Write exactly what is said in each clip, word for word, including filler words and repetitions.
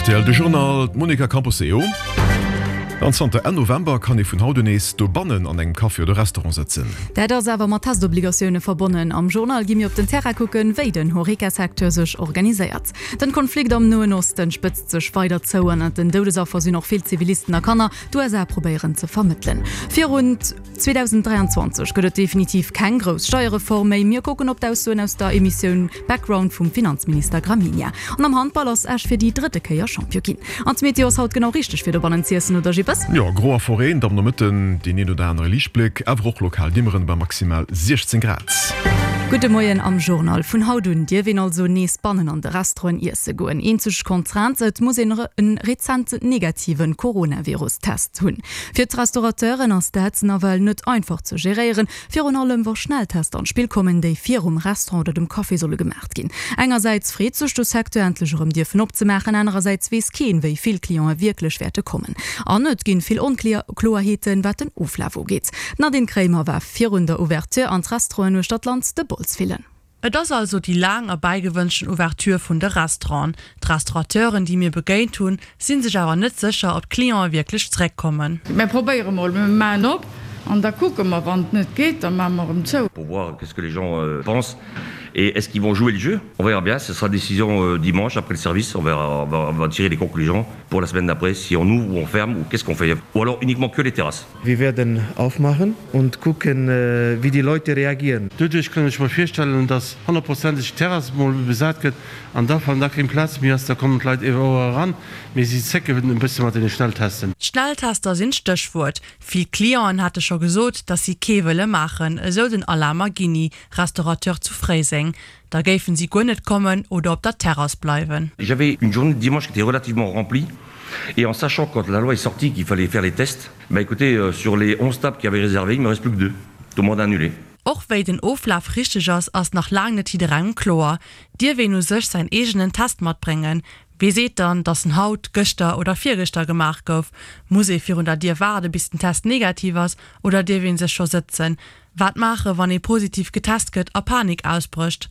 Rtl, De Journal, d'Monica Camposeo. An zanter Enn November kann ee vun haut un nees dobannen an engem Café oder Restaurant sëtzen. Dat ass awer mat Testobligatioune verbonnen. Am Journal gi mir op den Terrain kucken, wéi den Horeca-Secteur sech organiséiert. Den Konflikt am Noen Osten spëtzt sech weider zou. Ënnert den Doudesaffer sinn och vill Zivilisten a Kanner. D'USA probéieren ze vermëttelen. Virun zweedausenddräianzwanzeg gëtt et definitiv keng grouss Steierreform méi. Mir kucken op d'Aussoen aus der Emissioun Background vum Finanzminister Gramegna. An am Handball ass Esch fir déi drëtte Kéier Champion ginn. An d'Meteo ass haut genau richteg fir dobannen z'iessen, oder Jippes? Jo, gro a verreent am Nomëtten, deen een oder anere Liichtbléck, awer och lokal Dimmeren bei maximal siechzéng Grad. Gudde Moien am Journal. Vun haut un dierf een also nees bannen an de Restauranten iesse goen. Eenzeg Contrainte, et muss een e rezent negative Coronavirus-Test hunn. Fir d'Restaurateuren ass dat nawell net einfach ze geréieren, virun allem wa Schnelltester an d'Spill kommen, déi virum Restaurant oder dem Café solle gemaacht ginn. Engersäits freet sech de Secteur, endlech erëm dierfen opzemaachen, anerersäits weess keen, wéi vill Cliente wierklech wäerte kommen. An et ginn vill Onkloerheeten, wat den Oflaf ugeet. D'Nadine Kremer war virun der Ouverture an d'Restauranten uechter d'Land de Bols fillen. Et ass also déi laang erbäigewënschten Ouverture vun de Restauranten. D'Restaurateuren, déi mir begéint hunn, si sech awer net sécher, ob d'Cliente wierklech zeréckkommen. Mir probéiere mol, mir maachen op an da kucke mer. Wann et net geet, da maache mer erëm zou. Pour voir qu'est-ce que les gens pensent et est-ce qu'ils vont jouer le jeu? On verra bien, ce sera décision dimanche après le service, on verra, on va tirer les conclusions pour la semaine d'après si on ouvre ou on ferme ou qu'est-ce qu'on fait ou alors uniquement que les terrasses. Wir werden aufmachen und gucken, wie die Leute reagieren. Doduerch kann ech mer virstellen, dass honnertprozenteg d'Terrass mol besat gëtt an da wann da keng Plaz méi ass, da kommen d'Leit ewer eran, mee si zécken e bësse mat deene Schnelltesten. Schnelltester sinn d'Stéchwuert. Vill Clienten hate scho gesot, dass si kee wëlle maachen, esou den Alain Maghini, Restaurateur zu Fréiseng. Da géifen si guer net kommen oder op der Terrass bleiwen. J'avais une journée de dimanche qui était relativement remplie et en sachant quand la loi est sortie qu'il fallait faire les tests, bah écoutez, sur les onze tables qu'il y avait réservées, il me reste plus que deux. Tout le monde a annulé. Och wéi den Oflaf richteg ass, ass nach laang net jidderengem kloer. Dierf een u sech säin eegenen Test matbréngen? Wie seet dann, datt en haut, gëschter oder virgëschter gemaach gouf? Muss ee virun der Dier waarde bis den Test negativ ass oder dierf ee sech scho sëtzen? Wat maache wann ee positiv getest gëtt a Panik ausbrécht?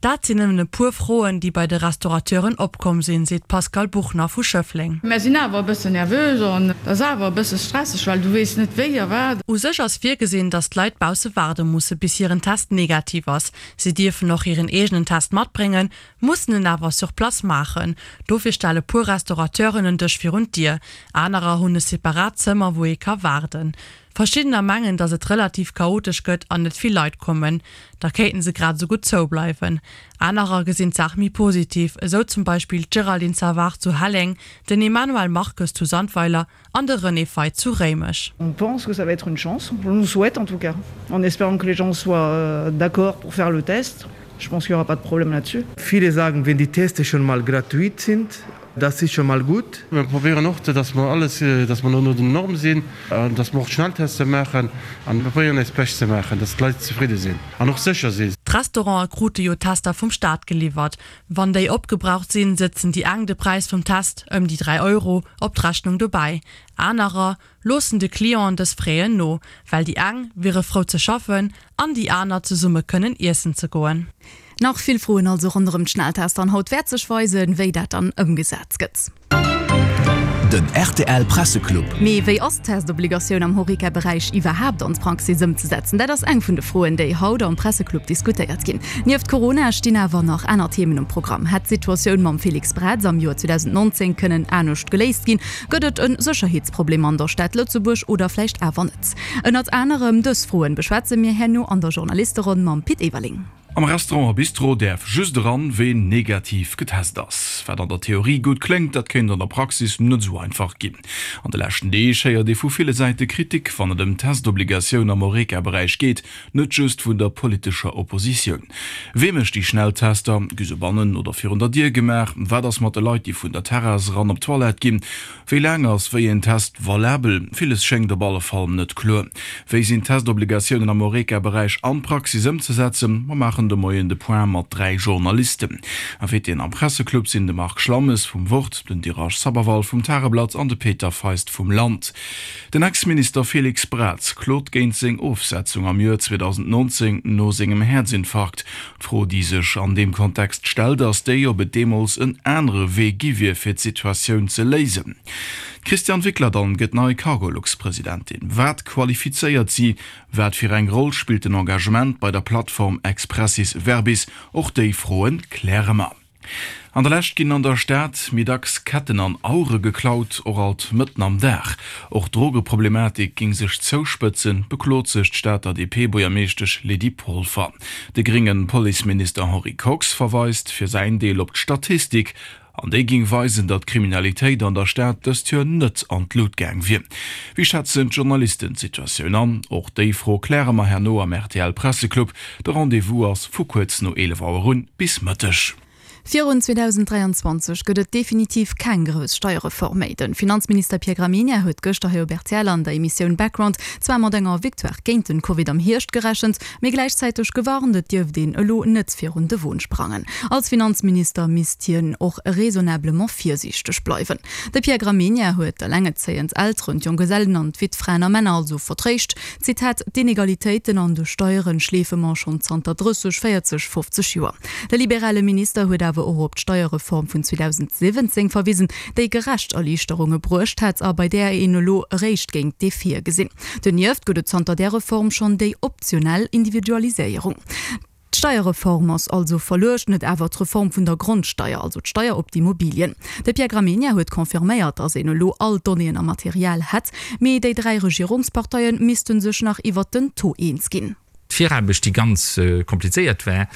Dat sinn nëmmen e puer Froen, déi bei de Restaurateuren opkomm sinn, seet d'Pascale Buchner vu Schëffleng. Mär sinn awer e bëssen nervös an et ass awer e bësse stresseg, well du weess net wéi a wat. U sech ass virgesinn, datt d'Leit bausse waarde musse bis hiren Test negativ ass. Si dierfen och hiren eegenen Test matbréngen, mussen en awer sur place maachen. Dofir stelle puer Restaurateuren en Dësch virun d'Dier. Anerer hunn e separat Zëmmer, wou ee ka waarden. Verschiddener mengen, datt et relativ chaotesch gëtt an net vill Leit kommen. Da kéinten se grad esou gutt zoubleiwen. Anerer gesinn d'Saach méi positiv, esou zum Beispill d'Géraldine Savard zu Helleng, den Emmanuel Marques zu Sandweiler an de René Feit zu Réimech. On pense que ça va être une chance, on nous souhaite en tout cas, en espérant que les gens soient d'accord pour faire le test. Je pense qu'il y aura pas de problème là-dessus. Viele sagen, wenn die Teste schon mal gratuit sind, das ist schon mal gut. Mir probéieren och, dass mer alles, dass mer no den Norme sinn, dass mer och d'Schnelltester maachen an mir probéieren eist Bescht ze maachen, dass d'Leit zefridde sinn an och sécher sinn. D'Restaurante krute jo Tester vum Staat geliwwert. Wann déi opgebraucht sinn, sëtzen déi eng de Präis vum Test, ëm déi dräi Euro, op d'Rechnung dobäi. Anerer loossen de Clienten dës Fräen no, well déi eng wiere frou ze schaffen an déi aner zesumme kënnen iessen ze goen. Nach vill Froen also ronderëm d'Schnelltester an haut wäert sech weisen, wéi dat dann ëmgesat gëtt. Den rtl Presseclub. Mee wéi ass d'Testobligatioun am Horeca-Beräich iwwerhaapt an d'Praxis ëmzesetzen? Dat ass eng vun de Froen, déi haut am Presseclub diskutéiert ginn. Nieft Corona stinn awer nach aner Themen um Programm. Hätt d'Situatioun mam Félix Braz am Joer zweedausendnonzéng kënnen anescht geléist ginn? Gëtt et e Sécherheetsproblem an der Stad Lëtzebuerg oder vläicht awer net? Ënnert anerem dës Froen beschwätze mir herno an der Journalisteronn mam Pit Everling. Am Restaurant a Bistro däerf just eran, ween negativ getest ass. Wat an der Theorie gutt kléngt, dat kéint an der Praxis net esou einfach ginn. An de leschten Deeg héiert ee vu ville Säite Kritik, wann et ëm d'Testobligatioun am Horeca-Beräich geet, net just vun der politescher Oppositioun. Wee mécht déi Schnelltester? Gi se bannen oder virun der Dier gemaach? Wat ass mat de Leit, déi vun der Terrass eran op d'Toilette ginn? Wéi laang ass wéi een Test valabel? Villes schéngt op alle Fall net kloer. Wéi sinn d'Testobligatiounen am Horeca-Beräich an d'Praxis ëmzesetzen? Mer maachen maachen de Moien de Point mat dräi Journalisten. Invitéen am Presseclub sinn de Marc Schlammes vum Wort, den Dhiraj Sabharwal vum Tageblatt an de Peter Feist vum Land. Den Ex-Minister Félix Braz klot géint seng Ofsetzung am Joer zweedausendnonzéng no sengem Häerzinfarkt. D'Fro, déi sech an deem Kontext stellt, ass déi, ob et deemools en anere Wee gi wier, fir d'Situatioun ze léisen. D'Christiane Wickler dann gëtt nei Cargolux-Presidentin. Wat qualifizéiert si? Wat fir eng Roll spillt den Engagement bei der Plattform Expressis Verbis? Och déi Froen kläre mer. An der Lescht ginn an der Stad méi dacks Ketten an Auere geklaut, och alt mëtten am Dag. Och d'Drogeproblematik géing sech zouspëtzen, beklot sech d'Stater D P-Buergermeeschtesch Lydie Polfer. De grénge Policeminister Henri Kox verweist fir säin Deel op d'Statistik, an déi géing weisen, datt d'Kriminalitéit an der Stad dëst Joer net an d'Lut gaang wier. Wéi schätzen d'Journalisten d'Situatioun an? Och déi Fro kläre mer herno am R T L Presseclub. De Rendez-vous ass vu kuerz no eelef Auer un bis Mëtteg. Virun zweedausend dräianzwanzeg gëtt et definitiv keng grouss Steierreform méi. De Finanzminister Pierre Gramegna huet gëschter hei op R T L an der Emissioun Background zwar mat enger Victoire géint den Covid am Hierscht gerechent, mee gläichzäiteg gewarnt, et dierft een elo net virun de Won sprangen. Als Finanzminister misst hien och raisonnablement virsiichteg bleiwen. De Pierre Gramegna huet d'alengezéiend Elteren, d'Jonggesellen an d'Wittfraen a Männer also vertréischt, Zitat, D'Inegalitéiten an de Steieren schleefe mer schonn zanter drësseg, véierzeg, fofzeg Joer. De liberale Minister huet awer och op d'Steierreform vun zweedausendsiwwenzéng verwisen, déi gerecht Erliichterunge bruecht hätt a bei där een elo eréischt géing d'Effete gesinn. Donieft gëtt et zanter där Reform schonn déi optionell Individualiséierung. D'Steierreform ass also verluecht, net awer d'Reform vun der Grondsteier, also d'Steier op d'Immobilien. De Pierre Gramegna huet confirméiert, datt een elo all d'Donnéeën a Material hätt, mee déi dräi Regierungsparteie misste sech nach iwwert den Taux eens ginn. D'Viraarbecht, déi ganz komplizéiert war,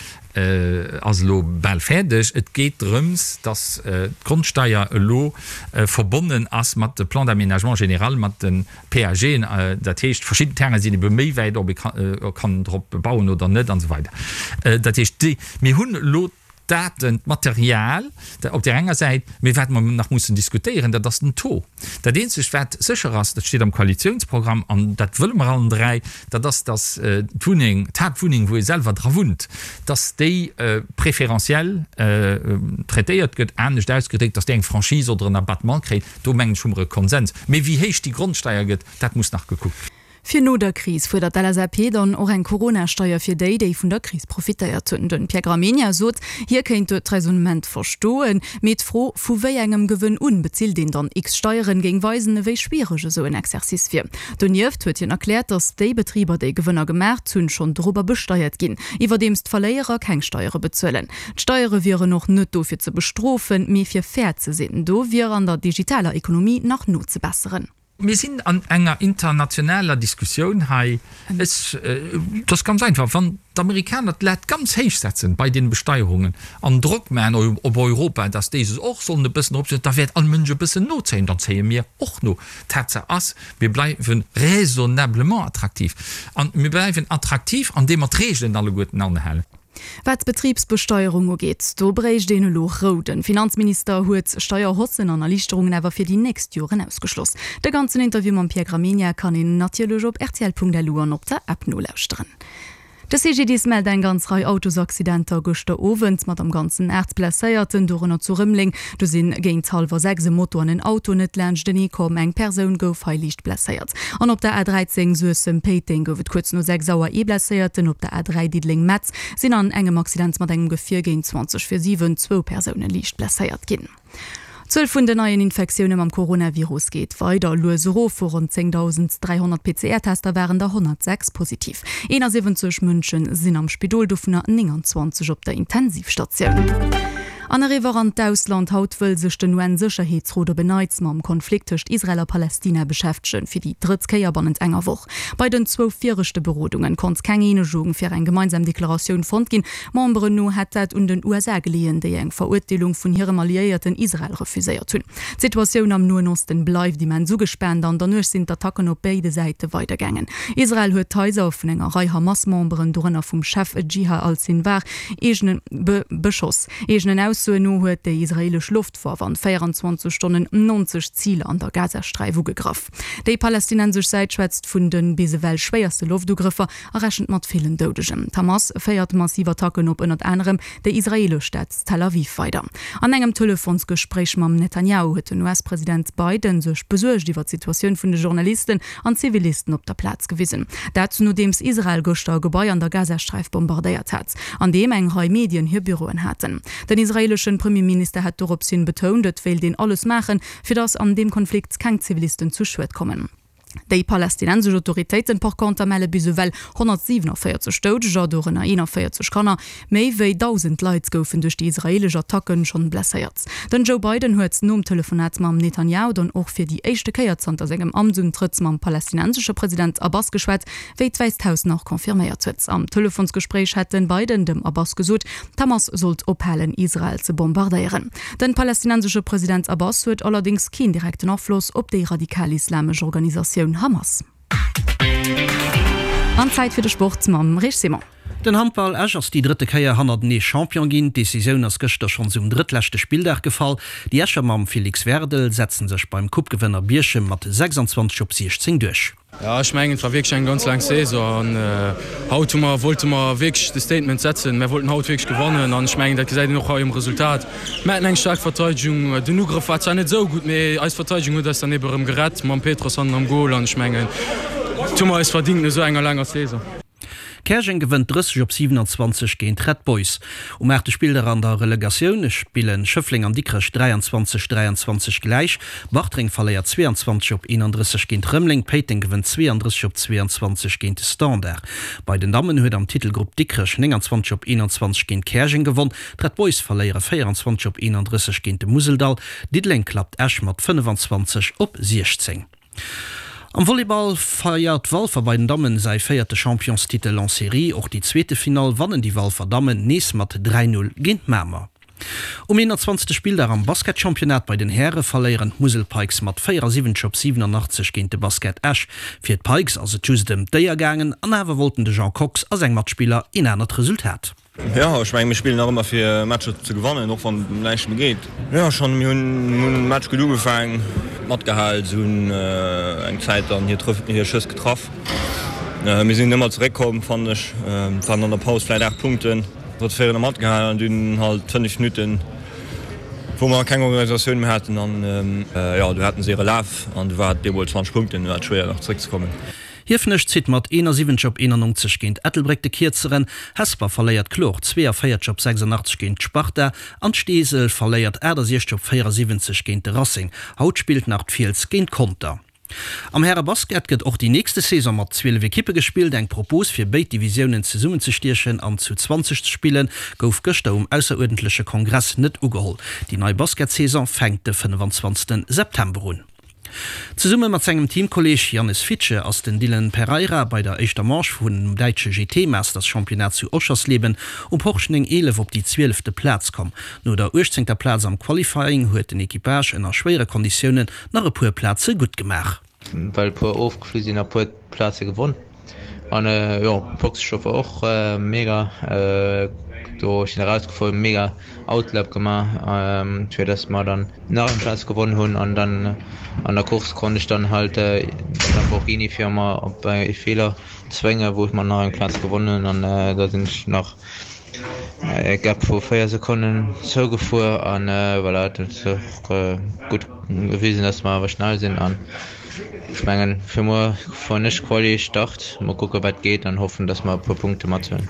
ass elo bal fäerdeg. Et geet drëms, dass d'Grondsteier elo verbonnen ass mat de Plans d'aménagement général, mat de P A Gen. Dat heescht, verschidden Terrainen sinn ebe méi wäit, ob ee kann drop bauen oder net an esou weider. Dat heescht, déi, mir hunn elo d'Daten, d'Material op där enger Säit, mee wat mer nach mussen diskutéieren, dat ass den Taux. Dat Eenzegt, wat sécher ass, dat steet am Koalitionsprogramm an dat wëlle mer allen dräi, dat ass, dass d'Wunneng, d'Haaptwunneng, wou ee selwer dra wunnt, dass déi préférentiel traitéiert gëtt, anescht ausgedréckt, dass déi eng Franchise oder en Abattement kréit. Do, mengen ech, hu mer e Konsens. Mee wéi héich déi Grondsteier gëtt, dat muss nach gekuckt ginn. Fir no der Kris fuerdert d'L S A P dann och eng Corona-Steier fir déi, déi vun der Kris profitéiert hunn. Den Pierre Gramegna sot, hie kéint d'Raisonnement verstoen, mee d'Fro, vu wéi engem Gewënn un bezilt een dann X Steieren, géing weisen, ewéi schwiereg esou en Exercice wier. Donieft huet hien erkläert, datt déi Betriber, déi Gewënner gemaacht hunn, schonn dorobber besteiert ginn, iwwerdeems d'Verléierer keng Steiere bezuelen. D'Steiere wieren och net do fir ze bestrofen, mee fir fair ze sinn. Do wier an der digitaler Ekonomie nach nozebesseren. Mir sinn an enger internationaler Diskussioun hei. Et ass ganz einfach, Wann d'Amerikaner d'Lat ganz héich setzen bei den Besteierungen an Drock maachen op Europa, dass déi sech och sollen e bëssen eropsetzen, da wäert all Mënsch e bëssen nozéien, dann zéie mir och no. Tatsaach ass, mir bleiwe raisonnablement attraktiv. A mir bleiwen attraktiv, andeem mer d'Reegelen alleguerten anhalen. Wat d'Betribsbesteierung ugeet, do bréicht een elo Rou. De Finanzminister huet Steierhaussen an Erliichterungen awer fir déi nächst Joren ausgeschloss. De ganzen Interview mam Pierre Gramegna kann een natierlech op R T L Punkt L U an op der App nolauschteren. De C G D I S mellt eng ganz Rei Autosaccidenter gëschter Owend mat am Ganzen aacht Blesséierten, dorënner zu Rëmeleng. Do sinn géint hallwer sechs e Moto an en Auto net laanschtenee komm, eng Persoun gouf hei liicht blesséiert. An op der A dräizéng Suessem-Péiteng gouf et kuerz no sechs Auer ee Blesséierten. Op der A dräi Diddeleng-Metz sinn an engem Accident mat engem Gefier géint zwanzeg vir siwen zwou Persoune liicht blesséiert ginn. D'Zuel vun den neien Infektioune mam Coronavirus geet weider lues erof. Vu ronn zéngdausend dräihonnert P C R-Tester waren der honnertsechs positiv. eenasiwwenzeg Mënsche sinn am Spidol, dovunner nénganzwanzeg op der Intensivstatioun. An eriwwer an d'Ausland, Haut wëll sech den U N-Sécherheetsrot op en Neits mam Konflikt tëscht Israel a Palestina beschäftegen, fir déi drëtt Kéier bannent enger Woch. Bei den zwou viregte Berodunge konnt keng Eenegung fir eng gemeinsam Deklaratioun fonnt ginn. Memberen no hätt dat un den U S A geleeën, déi eng Verurteelung vun hirem Alliéierten Israel refuséiert hunn. D'Situatioun am Noen Osten bleift immens ugespaant. An der Nuecht sinn d'Attacken op béide Säite weidergaangen. Israel huet d'Haiser vun enger Rei Hamas-Memberen, dorënner vum Chef Jihad al-Sinwar, eegenen beschoss. Eegenen Aussoen no huet déi israeelesch Loftwaff an véierenzwanzeg Stonnen neunzeg Ziler an der Gazasträif ugegraff. Déi palästinensesch Säit schwätzt vun de bis ewell schwéierste Loftugrëffer a rechent mat villen Doudegen. D'Hamas féiert massiv Attacken op ënnert anerem déi israeelesch Stad Tel Aviv weider. An engem Telefonsgespréich mam Netanjahu huet den U S-President Biden sech besuergt iwwer d'Situatioun vun de Journalisten an Zivilisten op der Plaz gewisen. Dat nodeems Israel gëschter e Gebai an der Gazasträif bombardéiert hat, an deem eng Rei Medien hir Büroen haten. Den israeeleschen Premierminister hat dorops hin betount, et wéilt een alles maachen, fir datt an deem Konflikt keng Zivilisten zu Schued kommen. Déi palästinensesch Autoritéiten par conter melle bis ewell honnertsiewenavéierzeg Doudeger, dorënner eenanvéierzeg Kanner. Méi wéi dausend Leit goufen duerch déi israeelesch Attacken schonn blesséiert. Den Joe Biden huet nom Telefonat mam Netanjahu dann och fir déi éischte Kéier zanter sengem Amtsuntrëtt mam palästinensesche President Abbas geschwat, wéi d'Wäisst Haus nach confirméiert huet. Am Telefonsgespréich hätt den Biden dem Abbas gesot, d'Hamas sollt ophalen, Israel ze bombardéieren. Den palästinensesche President Abbas huet allerdéngs keen direkten Afloss op déi radikal-islamesch Organisatioun Hamas. An Zäit fir de Sport mam Rich Simon. Den Handball Esch ass déi drëtte Kéier hannertenee Champion ginn. D'Decisioun ass gëschter schonns um drëttleschte Spilldag gefall. Déi Escher mam Felix Werdel setzen sech beim Coupe-Gewënner Bierchem mat sechsundzwanzeg op siechzéng duerch. Jo, ech mengen, et war wierklech eng ganz laang Saison an haut hu mer, wollte mer wierklech de Statement setzen. Mär wollten haut wierklech gewannen an ech mengen, dat gesäit een och hei um Resultat. Mär haten eng staark Verteidegung. Den Ugrëff war zwar net esou gutt, mee eis Verteidegung huet eis dann ebe rëm gerett mam Petros hannen am Gol an ech mengen, dat hu mer eis verdingt no esou enger laanger Saison. Käerjeng gewënnt drësseg op siewenanzwanzeg géint Red Boys. Um aachte Spilldag an der Relegatioun spillen Schëffleng an Dikrech dräianzwanzeg dräianzwanzeg gläich. Bartreng verléiert zweeanzwanzeg op eenandrësseg géint Rëmeleng. Péiteng gewënnt zweeandrësseg op zweeanzwanzeg géint de Standard. Bei den Dammen huet am Titelgrupp Dikrech nénganzwanzeg op eenanzwanzeg géint Käerjeng gewonn. D'Red Boys verléiere véieranzwanzeg op eenandrësseg géint de Museldall. Diddeleng klappt Esch mat fënnefanzwanzeg op siechzéng. Am Volleyball feiert Walfer bei den Dammen säi véierte Championstitel en Serie. Och déi zweete Finall wannen déi Walfer Dammen nees mat dräi Null géint Mamer. Um eenanzwanzegste Spilldag am Basketchampionnat bei den Häre verléieren d'Musel Pikes mat véierasiwwenzeg op siwenanachtzeg géint de Basket Esch. Fir d'Pikes ass et just ëm d'Éier gaangen an awer wollten de Jean Kox a seng Matspiller een anert Resultat. Jo, ech mengen, mir spillen nach ëmmer fir Matcher ze gewannen, och wann et ëm näischt méi geet. Jo, schonn, mir hunn de Match gutt ugefaang, matgehal, se hunn eng Zäit dann hir hir Schëss getraff. Mir sinn ëmmer zeréckkomm, fannen ech. Et waren an der Paus vläit aacht Punkten, hatt féieren a matgehal an dunn halt fënnef Minutten, wou mer keng Organisatioun méi haten an jo, du haten se hire Laf an du war et bemol zwanzeg Punkten, du war et schwéier nach zeréckzekommen. Hiefenech zitt mat eenasiwwenzeg op eenannonzeg géint Ettelbréck de Kierzeren, Hesper verléiert kloer zweeavéierzeg op sechsundachtzeg géint d'Sparta an d'Steesel verléiert achtasiechzeg op véierasiwwenzeg géint de Racing. Haut spillt nach d'Fiels géint Conter. Am Häre-Basket gëtt och déi nächste Saison mat zwielef Ekippe gespillt. Eng Propos fir béid Divisiounen zesummenzestiechen an zu zwanzeg ze spillen, gouf gëschter um ausseruerdentleche Kongress net ugeholl. Déi nei Basketsaison fänkt de fënnefanzwanzegste September un. Zesumme mat sengem Teamkolleeg Jannes Fittje ass den Dylan Pereira bei der éischter Manche vum däitsche G T Masters Championnat zu Oschersleben um Porsche néng eelef op déi zwielefte Plaz komm. No der uechtzéngter Plaz am Qualifying huet den Equipage ënner schwéiere Konditiounen nach e puer Plaze gutt gemaach. Well e puer ofgeflu sinn a puer Plaze gewonn. An jo Boxestopp war och mega, do ech sinn erausgefuer, mega Outlap gemaach, fir dass mer dann nach eng Plaz gewonnen hunn an dann an der Course konnt ech dann halt de Lamborghini fir mer op e Feeler zwénge wou ech mer nach eng Plaz gewonnen hunn an da sinn ech nach e Gap vu véier Sekonnen zougefuer an voilà, dat huet och gutt gewisen, dass mer awer schnell sinn an ech mengen fir muer fueren ech Quali Start, mol kucke wat geet an hoffen, dass mer e puer Punkte mathuelen.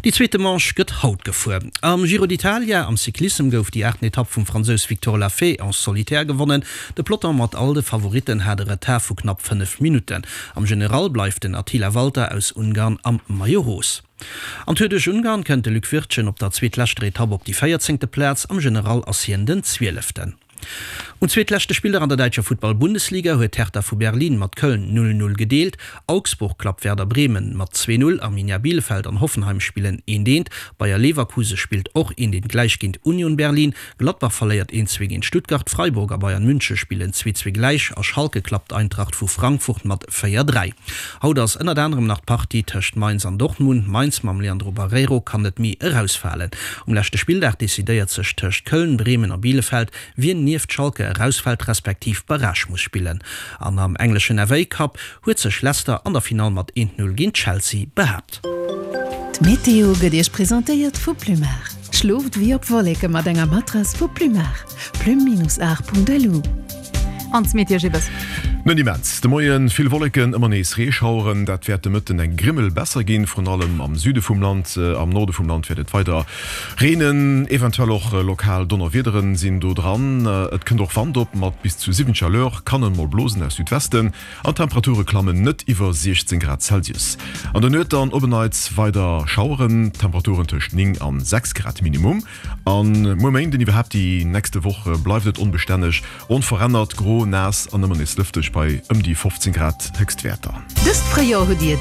Déi zweete Manche gëtt haut gefuer. Am Giro d'Italia am Cyclissem gouf déi aachten Etapp vum Fransous Victor Lafay en solitaire gewonnen. De Peloton mat all de Favoritten hat e Retard vu knapp fënnef Minutten. Am General bleift den Attila Valter aus Ungarn am Maillot Rose. Am Tour duerch Ungarn kënnt de Luc Wirtgen op der zweetleschter Etapp op déi véierzéngte Plaz, am General ass hien den Zwieleften. Um zweetleschte Spilldag an der däitscher Futtball-Bundesliga huet Hertha vu Berlin mat Köln null, null gedeelt. Augsburg klappt Werder Bremen mat zwee, null, Arminia Bielefeld an Hoffenheim spillen eent, eent, Bayer Leverkuse spillt och eent, eent gläich géint Union Berlin, Gladbach verléiert eent, zwee géint Stuttgart, Freiburg a Bayern Münche spillen zwee, zwee gläich a Schalke klappt Eintracht vu Frankfurt mat véier, dräi. Haut ass ënnert anerem nach d'Partie tëscht Mainz an Dortmund. Mainz mam Leandro Barreiro kann net méi erausfalen. Um leschte Spilldag decidéiert sech tëscht Köln, Bremen a Bielefeld, wien nieft Schalke erausfält respektiv Barrage muss spillen. An am engleschen F A Cup huet sech Leicester an der Finall mat eent Null géint Chelsea behaapt. D'Meteo gëtt Iech presentéiert vu Plumar. Schlooft wéi op Wolleke mat enger Matrass vu Plumar. Plume-art.lu. An d'Meteo Gibbes. Net immens de Moien, vill Wolleken, ëmmer nees Reeschaueren. Dat wäert de Mëtten eng Grimmel besser ginn, vrun allem am Süde vum Land. Am Norde vum Land wäert et weider reenen, eventuell och lokal Donnerwiederen sinn do dran. Et kënnt och Wand op mat bis zu siwwenzeg à l'heure, kann en mol blosen aus Südwesten an d'Temperature klammen net iwwer siechzéng Grad Celsius. An der Nuet dann op en Neits weider Schaueren, Temperaturen tëscht néng an sechs Grad Minimum. An muer Méinden, iwwerhaapt déi nächste Woch, bleift et onbestänneg, onverännert, gro, naass an ëmmer nees lëfteg bei ëm déi fofzéng Grad Héchstwäerter. Dëst Fréijoer hutt Dir